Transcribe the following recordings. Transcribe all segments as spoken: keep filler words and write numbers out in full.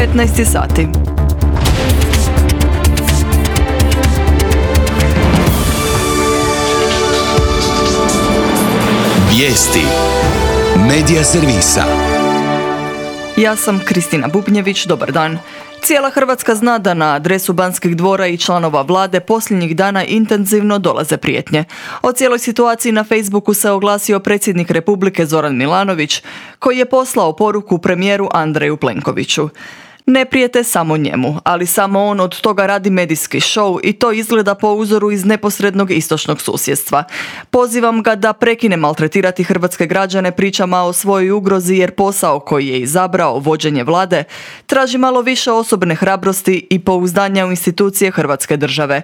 petnaest sati. Vijesti Medija servisa. Ja sam Kristina Bubnjević, dobar dan. Cijela Hrvatska zna da na adresu Banskih dvora i članova vlade posljednjih dana intenzivno dolaze prijetnje. O cijeloj situaciji na Facebooku se oglasio predsjednik Republike Zoran Milanović, koji je poslao poruku premijeru Andreju Plenkoviću. Ne prijete samo njemu, ali samo on od toga radi medijski show i to izgleda po uzoru iz neposrednog istočnog susjedstva. Pozivam ga da prekine maltretirati hrvatske građane pričama o svojoj ugrozi jer posao koji je izabrao, vođenje vlade, traži malo više osobne hrabrosti i pouzdanja u institucije Hrvatske države.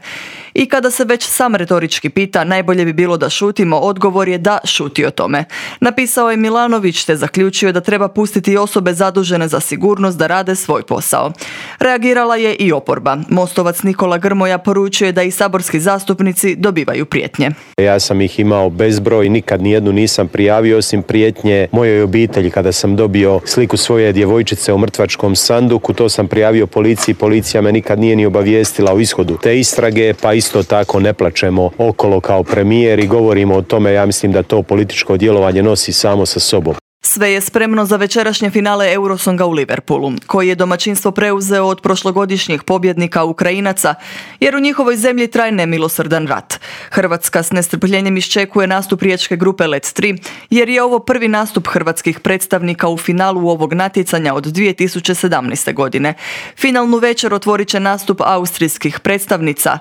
I kada se već sam retorički pita, najbolje bi bilo da šutimo, odgovor je da šuti o tome. Napisao je Milanović te zaključio da treba pustiti osobe zadužene za sigurnost da rade svoj posao. Reagirala je i oporba. Mostovac Nikola Grmoja poručuje da i saborski zastupnici dobivaju prijetnje. Ja sam ih imao bezbroj, nikad nijednu nisam prijavio osim prijetnje mojoj obitelji kada sam dobio sliku svoje djevojčice u mrtvačkom sanduku. To sam prijavio policiji, policija me nikad nije ni obavijestila o ishodu te istrage, pa isto tako ne plačemo okolo kao premijer i govorimo o tome. Ja mislim da to političko djelovanje nosi samo sa sobom. Sve je spremno za večerašnje finale Eurosonga u Liverpoolu, koji je domaćinstvo preuzeo od prošlogodišnjih pobjednika Ukrajinaca, jer u njihovoj zemlji traje nemilosrdan rat. Hrvatska s nestrpljenjem iščekuje nastup riječke grupe Let tri, jer je ovo prvi nastup hrvatskih predstavnika u finalu ovog natjecanja od dvije tisuće sedamnaeste. godine. Finalnu večer otvorit će nastup austrijskih predstavnica.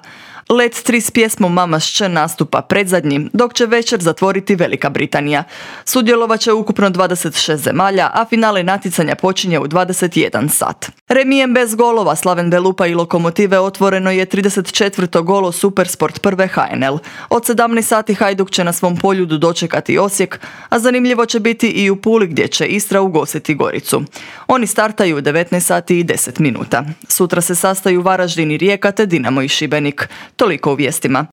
Let tri s pjesmom Mama's će nastupa predzadnji, dok će večer zatvoriti Velika Britanija. Sudjelovat će ukupno dvadeset šest zemalja, a finale natjecanja počinje u dvadeset jedan sat. Remijem bez golova Slaven Belupa i Lokomotive otvoreno je trideset četvrto golo Supersport prve H N L. Od sedamnaest sati Hajduk će na svom poljudu dočekati Osijek, a zanimljivo će biti i u Puli gdje će Istra ugostiti Goricu. Oni startaju u devetnaest sati i deset minuta. Sutra se sastaju Varaždin i Rijeka te Dinamo i Šibenik. Toliko u vijestima.